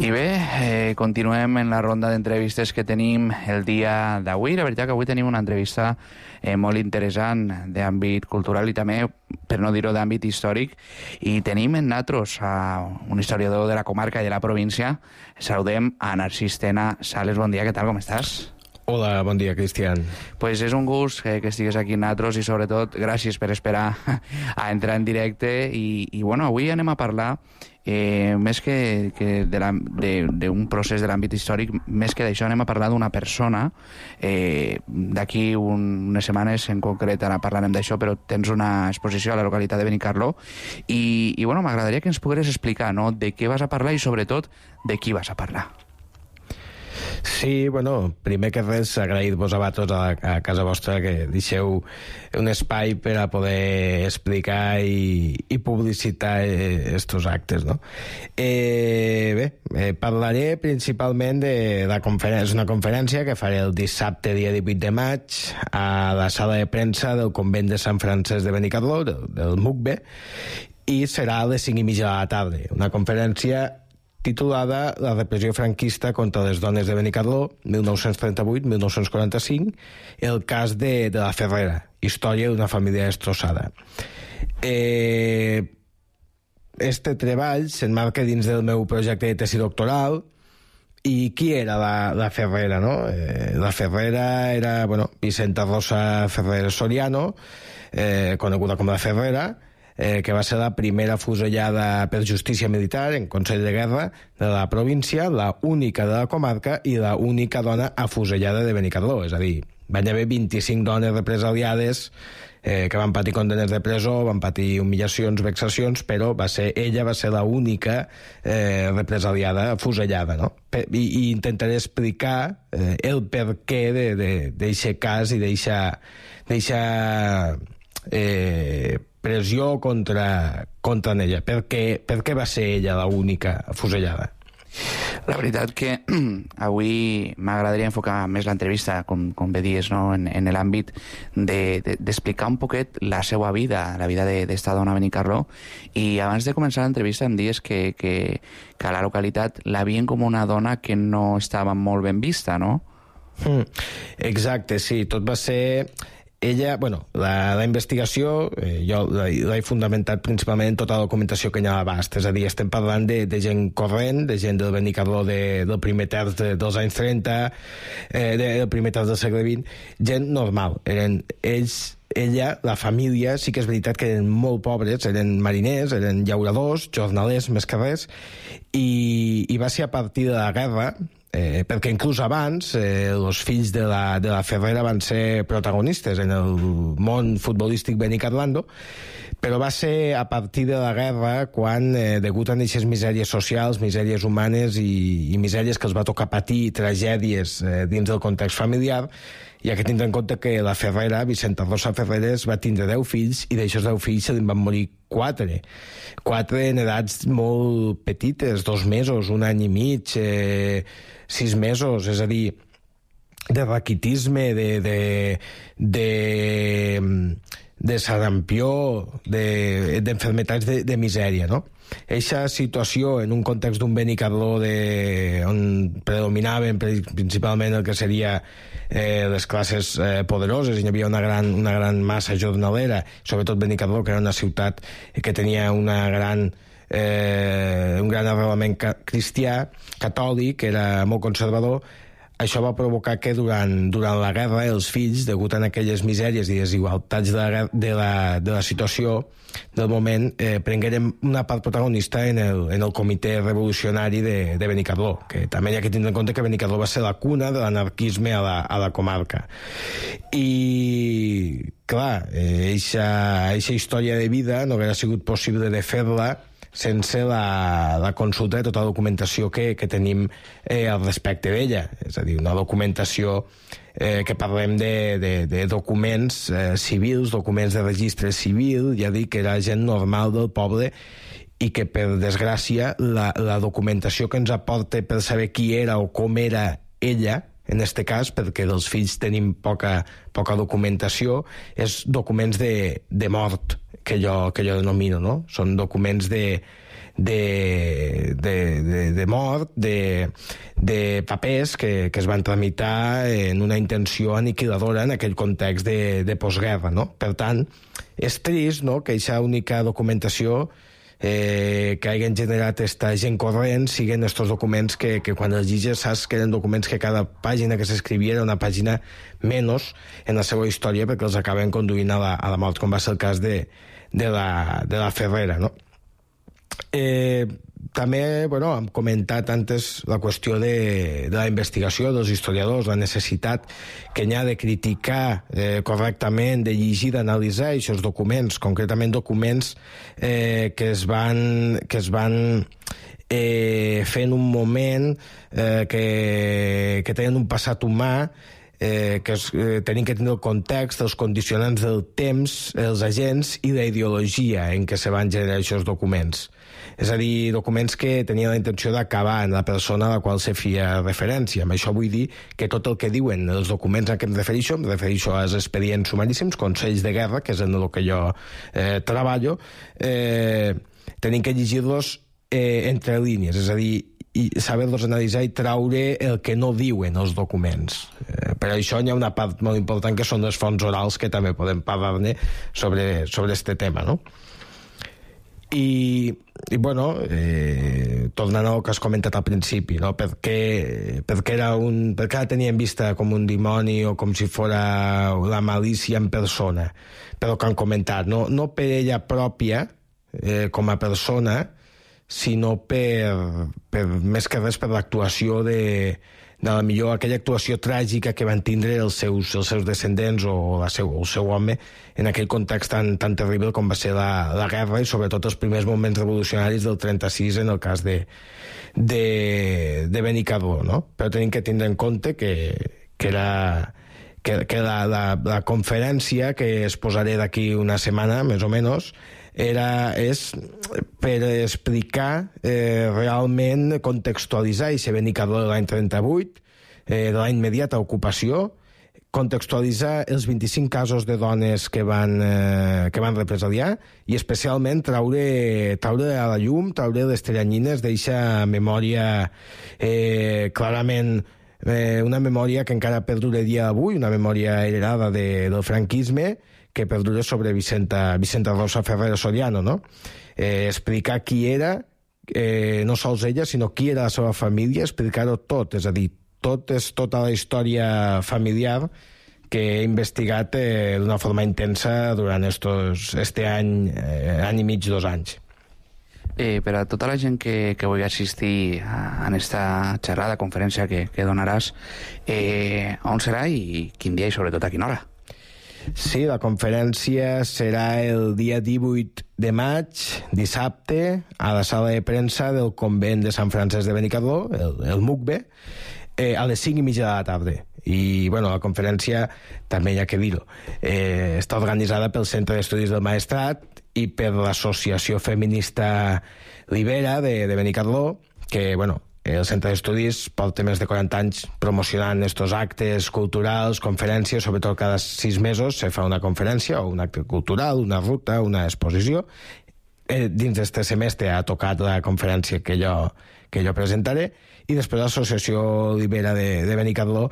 I bé, continuem en la ronda d'entrevistes que tenim el dia d'avui. La veritat que avui tenim una entrevista molt interessant d'àmbit cultural i també, per no dir-ho, d'àmbit històric. I tenim en nosaltres a un historiador de la comarca i de la província. Saludem a Narcís Tena Sales. Bon dia, què tal, com estàs? Hola, bon dia, Cristian. Pues és un gust que estigues aquí amb nosaltres i sobretot gràcies per esperar a entrar en directe i bueno, avui anem a parlar més que d'un procés de l'àmbit històric, més que d'això anem a parlar d'una persona. D'aquí unes setmanes en concret ara parlarem d'això, però tens una exposició a la localitat de Benicarló i bueno, m'agradaria que ens pogueres explicar, no?, de què vas a parlar i sobretot de qui vas a parlar. Sí, bueno, primer que res, agrair-vos a vosaltres a casa vostra que deixeu un espai per a poder explicar i publicitar estos actes, no? Parlaré principalment de la conferència. És una conferència que faré el dissabte, dia 18 de maig, a la sala de premsa del convent de Sant Francesc de Benicarló, del MUCBE, i serà a les 5:30 de la tarda. Una conferència titulada La repressió franquista contra les dones de Benicarló, 1938-1945, el cas de la Ferrera, història d'una família destrossada. Este treball s'emmarca dins del meu projecte de tesi doctoral. I qui era la Ferrera, no? La Ferrera era, bueno, Vicenta Rosa Ferrer Soriano, coneguda com la Ferrera, que va ser la primera fusellada per justícia militar en Consell de Guerra de la província, la única de la comarca i la única dona afusellada de Benicarló. És a dir, van haver 25 dones represaliades que van patir condenes de presó, van patir humillacions, vexacions, però ella va ser la única represaliada, afusellada, no? I intentaré explicar el perquè d'eixe cas i d'eixa pressió contra ella. Per què va ser ella l'única afusellada? La veritat que avui m'agradaria enfocar més l'entrevista, com bé dies, no?, en l'àmbit d'explicar un poquet la seva vida, la vida d'esta dona a Benicarló. I abans de començar l'entrevista em dies que a la localitat la veien com una dona que no estava molt ben vista, no? Exacte, sí. Tot va ser... Ella, bueno, la investigació jo l'he fundamentat principalment en tota la documentació que hi ha a l'abast, és a dir, estem parlant de gent corrent, de gent del Benicarló del primer terç dels anys 30, del primer terç del segle XX, gent normal. Eren ells, ella, la família, sí que és veritat que eren molt pobres, eren mariners, eren llauradors, jornalers més que res, i va ser a partir de la guerra, perquè inclús abans els fills de la Ferrera van ser protagonistes en el món futbolístic benicarlando, però va ser a partir de la guerra quan, degut a aquestes misèries socials, misèries humanes i misèries que els va tocar patir, tragèdies dins del context familiar, hi ha que tindre en compte que la Ferrera, Vicenta Rosa Ferreres, va tindre 10 fills i d'aixòs 10 fills se li van morir 4 en edats molt petites, 2 mesos, 1 any i mig, 6 mesos, és a dir, de raquitisme, de sarampió, d'enfermetats de misèria, no? Eixa situació en un context d'un Benicarló on predominaven principalment el que seria les classes poderoses, i hi havia una gran massa jornalera, sobretot Benicarló, que era una ciutat que tenia un gran arrelament cristià, catòlic, era molt conservador. Això va provocar que durant la guerra els fills, degut a aquelles misèries i desigualtats de la situació del moment, prengueren una part protagonista en el comitè revolucionari de Benicarló, que també hi ha que tindre en compte que Benicarló va ser la cuna de l'anarquisme a la comarca. I, clar, eixa història de vida no hauria sigut possible de fer-la sense la consulta de tota la documentació que tenim al respecte d'ella. És a dir, una documentació que parlem de documents civils, documents de registre civil, ja dic que era gent normal del poble i que, per desgràcia, la documentació que ens aporta per saber qui era o com era ella, en este cas, perquè dels fills tenim poca documentació, és documents de mort, jo denomino, no? Són documents de mort, de papers que es van tramitar en una intenció aniquiladora en aquell context de postguerra, no? Per tant, és trist, no?, que aquesta única documentació que hagin generat esta gent corrent siguin estos documents que quan els lliges saps que eren documents que cada pàgina que s'escrivia era una pàgina menys en la seva història perquè els acaben conduint a la mort, com va ser el cas de la Ferrera, no? També, bueno, hem comentat antes la qüestió de la investigació dels historiadors, la necessitat que n'hi ha de criticar correctament, de llegir, d'analitzar aquests documents, concretament documents que es van fer en un moment que tenen un passat humà, que tenim que tenir el context, els condicionants del temps, els agents i la ideologia en què se van generar aquests documents. És a dir, documents que tenien la intenció d'acabar en la persona a la qual se feia referència. Amb això vull dir que tot el que diuen els documents a què em refereixo als expedients sumaríssims, consells de guerra, que és en el que jo treballo, tenim que llegir-los entre línies, és a dir, i saber-los analitzar i traure el que no diuen els documents. Per això hi ha una part molt important que són les fonts orals, que també podem parlar-ne sobre este tema, no? I bueno, tornant al que has comentat al principi, no? Per què la tenien vista com un dimoni o com si fora la malícia en persona, però que han comentat, no per ella pròpia com a persona, sinó per més que res per l'actuació de la millor aquella actuació tràgica que van tindre els seus descendents o el seu home en aquell context tan terrible com va ser la guerra i sobretot els primers moments revolucionaris del 36 en el cas de Benicarló, no? Però tenim que tindre en compte que la conferència que es posaré d'aquí una setmana, més o menys, és per explicar realment, contextualitzar i ser Benicarló de l'any 38, de la immediata ocupació, contextualitzar els 25 casos de dones que van represaliar i especialment traure a la llum, traure les teranyines d'eixa memòria clarament una memòria que encara perduraria avui, una memòria heredada del franquisme, que perdura sobre Vicenta Rosa Ferrero Soriano, no? Explicar qui era, no sols ella, sinó qui era la seva família, explicar-ho tot, és a dir, tota la història familiar que he investigat d'una forma intensa durant este any i mig, 2 anys. Per a tota la gent que vulgui assistir a esta xerrada, conferència que donaràs, on serà i quin dia i sobretot a quina hora? Sí, la conferència serà el dia 18 de maig, dissabte, a la sala de premsa del convent de Sant Francesc de Benicarló, el MUCBE, a les 5:30 de la tarda. I, bueno, la conferència, també hi ha que dir-ho, està organitzada pel Centre d'Estudis del Maestrat i per l'Associació Feminista Libera de Benicarló, que, bueno, el Centre d'Estudis porta més de 40 anys promocionant estos actes culturals, conferències, sobretot cada 6 mesos se fa una conferència o un acte cultural, una ruta, una exposició. Dins d'este semestre ha tocat la conferència que jo presentaré i després l'Associació Libera de Benicarló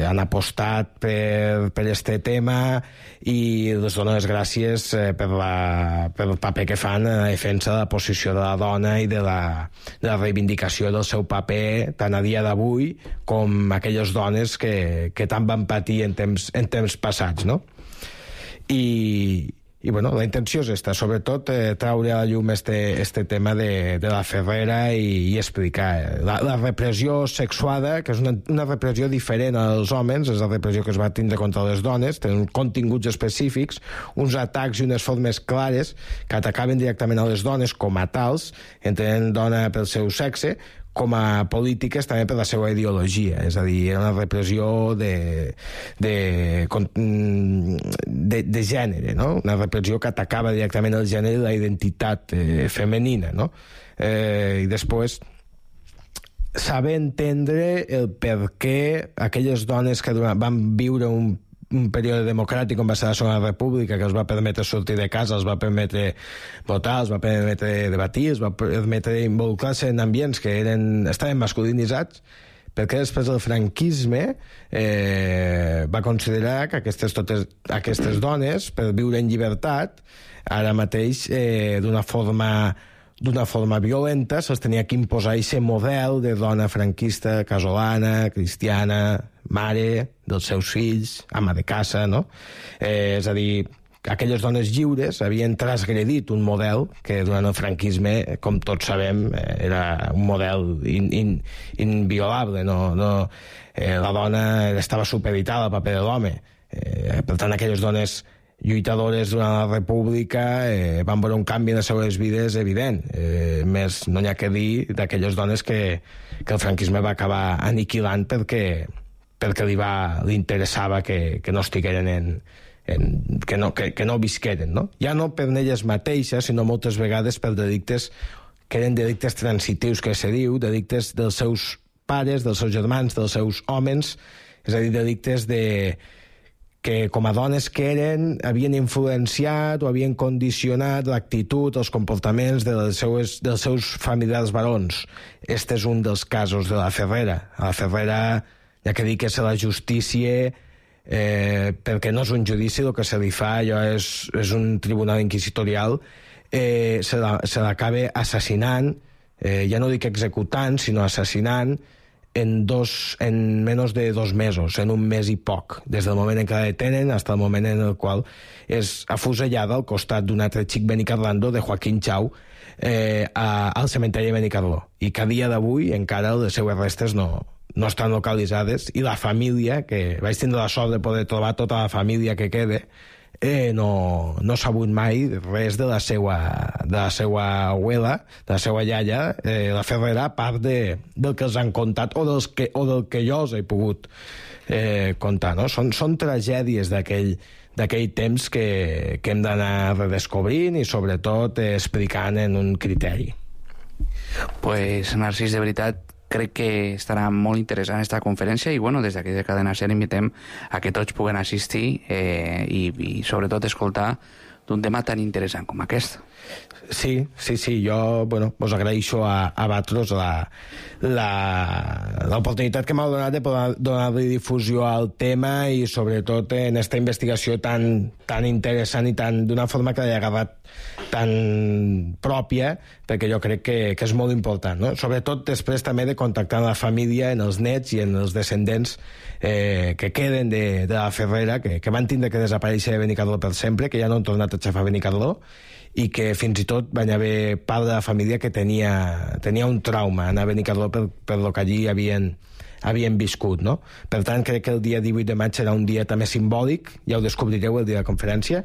han apostat per este tema i les dono les gràcies pel paper que fan en la defensa de la posició de la dona i de la reivindicació del seu paper tant a dia d'avui com aquelles dones que tant van patir en temps passats, no? I bueno, la intenció és esta, sobretot traure a la llum este tema de la Ferrera i explicar la repressió sexuada, que és una repressió diferent als homes, és la repressió que es va tindre contra les dones, tenen continguts específics, uns atacs i unes formes clares que atacaven directament a les dones com a tals, entenent dona pel seu sexe, com a polítiques també per la seva ideologia, és a dir, era una repressió de gènere, no? Una repressió que atacava directament el gènere i la identitat femenina, no? I després saber entendre el per què aquelles dones que van viure un un període democràtic com va ser la Segona República, que els va permetre sortir de casa, els va permetre votar, els va permetre debatir, els va permetre involucrar-se en ambients que estaven masculinitzats, perquè després del franquisme va considerar que aquestes dones, per viure en llibertat, ara mateix d'una forma violenta se'ls tenia que imposar aquest model de dona franquista, casolana, cristiana, mare dels seus fills, ama de casa, no? És a dir, aquelles dones lliures havien transgredit un model que durant el franquisme, com tots sabem, era un model inviolable. La dona estava supeditada al paper de l'home. Per tant, aquelles dones lluitadores durant la República van veure un canvi en les seves vides evident. Més no n'hi ha que dir d'aquelles dones que el franquisme va acabar aniquilant perquè li interessava que no estigueren que no visqueren, no? Ja no per elles mateixes, sinó moltes vegades per delictes que eren delictes transitius, que se diu, delictes dels seus pares, dels seus germans, dels seus homes, és a dir, delictes que com a dones que eren havien influenciat o havien condicionat l'actitud, els comportaments dels seus familiars barons. Este és un dels casos de la Ferrera. A la Ferrera hi ha que dir que és la justícia, perquè no és un judici, el que se li fa allò és un tribunal inquisitorial, se l'acaba assassinant, ja no dic executant, sinó assassinant, en menys de 2 mesos, en un mes i poc, des del moment en què la detenen fins al moment en el qual és afusellada al costat d'un altre xic Benicarlando de Joaquín Chau al cementeri de Benicarló, i que a dia d'avui encara les seues restes no estan localitzades, i la família, que vaig tindre la sort de poder trobar tota la família que queda, no s'ha sabut mai res de la seva abuela, de la seva iaia, la Ferrera, a part del que els han contat o del que jo els he pogut contar, no? Són tragèdies d'aquell temps que hem d'anar redescobrint i sobretot explicant en un criteri. Pues, Narcís, de veritat, crec que estarà molt interessant aquesta conferència i, bueno, des d'aquí de Cadena SER invitem a que tots puguen assistir i sobretot escoltar d'un tema tan interessant com aquest. Sí, jo, us agraeixo a vosaltres l'oportunitat que m'heu donat de poder donar-li difusió al tema i sobretot en aquesta investigació tan interessant i d'una forma que l'he agarrat tan pròpia, perquè jo crec que és molt important, no? Sobretot després també de contactar amb la família, en els nets i en els descendents que queden de la Ferrera, que van tindre que desaparèixer de Benicarló per sempre, que ja no han tornat a xafar Benicarló, i que fins i tot van haver part de la família que tenia un trauma anar a Benicarló per lo que allí havien viscut, no? Per tant, crec que el dia 18 de maig serà un dia també simbòlic, ja ho descobrireu el dia de la conferència,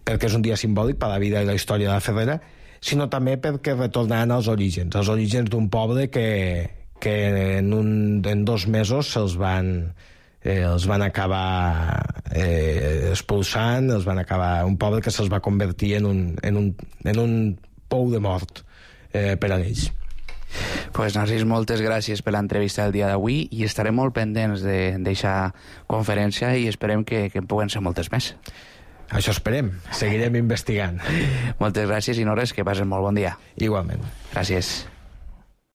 perquè és un dia simbòlic per a la vida i la història de la Ferrera, sinó també perquè retornaran als orígens d'un poble que en 2 mesos els van acabar expulsant, un poble que se'ls va convertir en un pou de mort per a ells. Pues, Narcís, moltes gràcies per l'entrevista del dia d'avui i estarem molt pendents d'aquesta conferència i esperem que en puguen ser moltes més. Això esperem, seguirem investigant. Moltes gràcies i no res, que passes molt bon dia. Igualment. Gràcies.